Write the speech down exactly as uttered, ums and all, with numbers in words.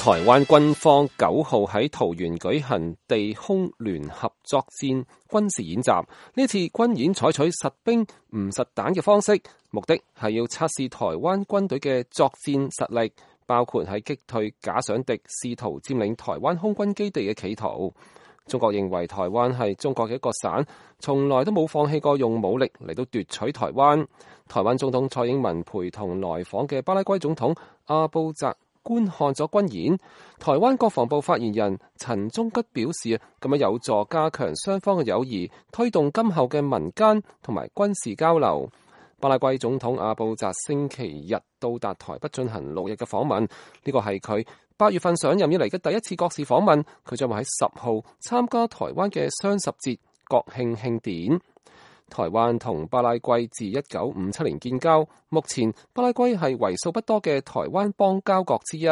台灣軍方九號喺桃園舉行地空聯合作戰軍事演習，呢次軍演採取實兵唔實彈嘅方式，目的係要測試台灣軍隊嘅作戰實力，包括喺擊退假想敵試圖佔領台灣空軍基地嘅企圖。中國認為台灣係中國嘅一個省，從來都冇放棄過用武力嚟到奪取台灣。台灣總統蔡英文陪同來訪嘅巴拉圭總統阿布扎觀看咗軍演。台灣國防部發言人陳忠吉表示，咁樣有助加強雙方嘅友誼，推動今後嘅民間同埋軍事交流。巴拉圭總統阿布扎星期日到達台北進行六日嘅訪問，呢個係佢八月份上任以嚟嘅第一次國事訪問。佢將會喺十號參加台灣嘅雙十節國慶慶典。台灣同巴拉圭自一九五七年建交，目前巴拉圭係為數不多嘅台灣邦交國之一。